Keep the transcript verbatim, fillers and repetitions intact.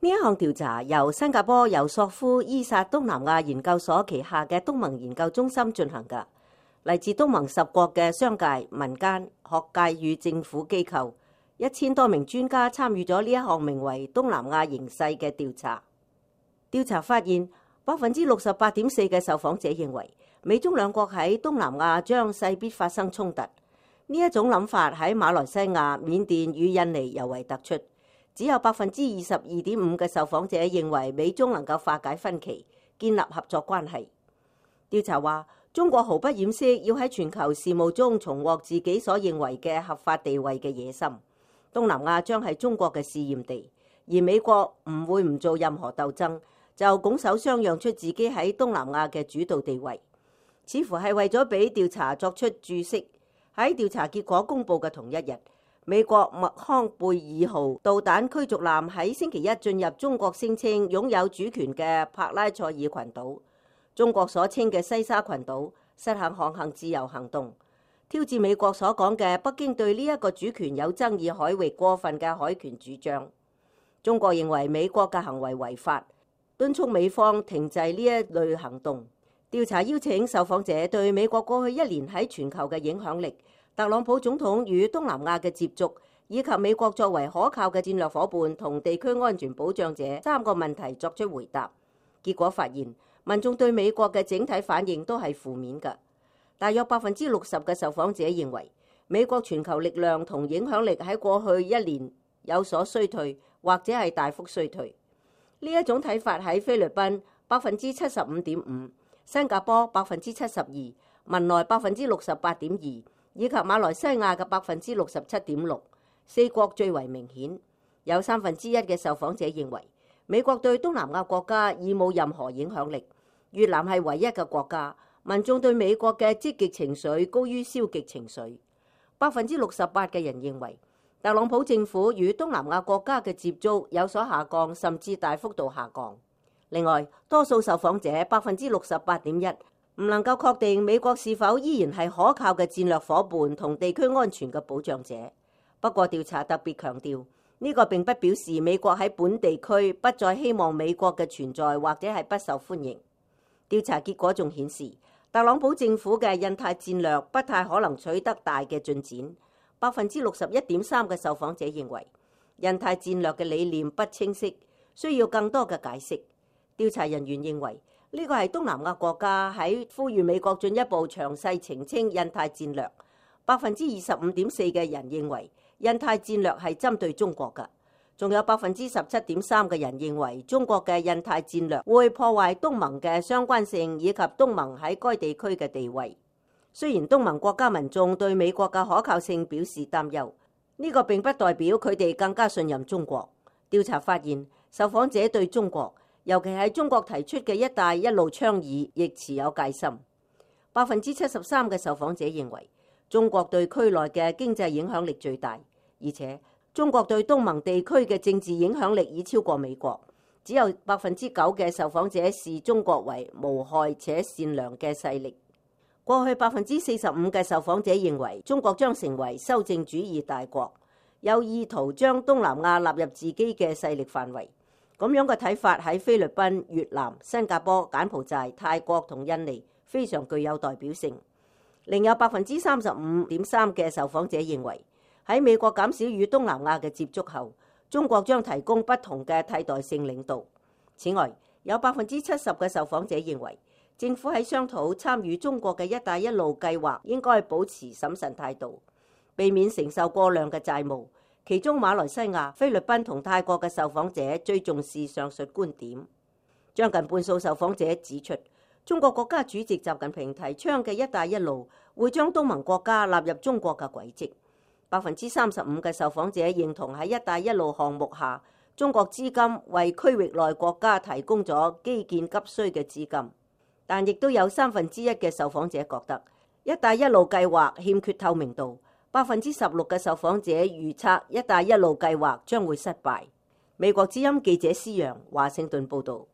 呢一項調查由新加坡尤索夫伊薩東南亞研究所旗下嘅東盟研究中心進行嘅，嚟自東盟十國嘅商界、民間、學界與政府機構，一千多名專家參與咗呢一項名為東南亞形勢嘅調查。調查發現，百分之六十八點四嘅受訪者認為美中兩國喺東南亞將勢必發生衝突。呢一種諗法喺馬來西亞、緬甸與印尼尤為突出。只有百分之二十二點五嘅受訪者認為美中能夠化解分歧，建立合作關係。調查話，中國毫不掩飾要喺全球事務中重獲自己所認為嘅合法地位嘅野心。東南亞將係中國嘅試驗地，而美國唔會唔做任何鬥爭，就拱手相讓出自己喺東南亞嘅主導地位，似乎係為咗俾調查作出注釋。喺調查結果公佈嘅同一日，美國麥康貝爾號導彈驅逐艦喺星期一進入中國聲稱擁有主權嘅帕拉塞爾群島，中國所稱嘅西沙群島實行航行自由行動，挑戰美國所講嘅北京對呢一個主權有爭議海域過分嘅海權主張。中國認為美國嘅行為違法，敦促美方停滯呢一類行動。調查邀請受訪者對美國過去一年喺全球嘅影響力、特朗普總統與東南亞嘅接觸，以及美國作為可靠嘅戰略夥伴同地區安全保障者三個問題作出回答。結果發現，民眾對美國嘅整體反應都係負面嘅。大約百分之六十嘅受訪者認為，美國全球力量同影響力喺過去一年有所衰退，或者係大幅衰退。呢一種睇法喺菲律賓百分之七十五點五，新加坡百分之七十二，文萊百分之六十八點二，以及馬來西亞嘅百分之六十七點六，四國最為明顯。有三分之一嘅受訪者認為美國對東南亞國家已冇任何影響力，越南係唯一嘅國家。民眾對美國嘅積極情緒高於消極情緒。百分之六十八嘅人認為特朗普政府與東南亞國家嘅接觸有所下降，甚至大幅度下降。另外，多數受訪者百分之六十八點一唔能夠確定美國是否依然係可靠嘅戰略夥伴同地區安全嘅保障者。不過調查特別強調，呢個並不表示美國喺本地區不再希望美國嘅存在或者係不受歡迎。調查結果仲顯示，特朗普政府嘅印太戰略不太可能取得大嘅進展。百分之六十一點三嘅受訪者認為印太戰略嘅理念不清晰，需要更多嘅解釋。調查人員認為呢個係東南亞國家喺呼籲美國進一步詳細澄清印太戰略。百分之二十五點四嘅人認為印太戰略係針對中國㗎，仲有百分之十七點三嘅人認為中國嘅印太戰略會破壞東盟嘅相關性以及東盟喺該地區嘅地位。雖然東盟國家民眾對美國嘅可靠性表示擔憂，呢個並不代表佢哋更加信任中國。調查發現，受訪者對中國，尤其係中國提出嘅一帶一路倡議，亦持有戒心。百分之七十三嘅受訪者認為中國對區內嘅經濟影響力最大，而且中國對東盟地區嘅政治影響力已超過美國。只有百分之九嘅受訪者視中國為無害且善良嘅勢力。過去百分之四十五嘅受訪者認為中國將成為修正主義大國，有意圖將東南亞納入自己嘅勢力範圍。咁樣嘅睇法喺菲律賓、越南、新加坡、柬埔寨、泰國同印尼非常具有代表性。另有百分之三十五點三嘅受訪者認為喺美國減少與東南亞嘅接觸後，中國將提供不同嘅替代性領導。此外，有百分之七十嘅受訪者認為政府喺商討參與中國嘅一帶一路計劃應該保持審慎態度，避免承受過量嘅債務。其中馬來西亞、菲律賓同泰國嘅受訪者最重視上述觀點。將近半數受訪者指出，中國國家主席習近平提倡嘅一帶一路會將東盟國家納入中國嘅軌跡。百分之三十五嘅受訪者認同喺一帶一路項目下，中國資金為區域內國家提供咗基建急需嘅資金。但亦都有三分之一嘅受訪者覺得一帶一路計劃欠缺透明度。百分之十六嘅受訪者預測一帶一路計劃將會失敗。美國之音記者施陽華盛頓報導。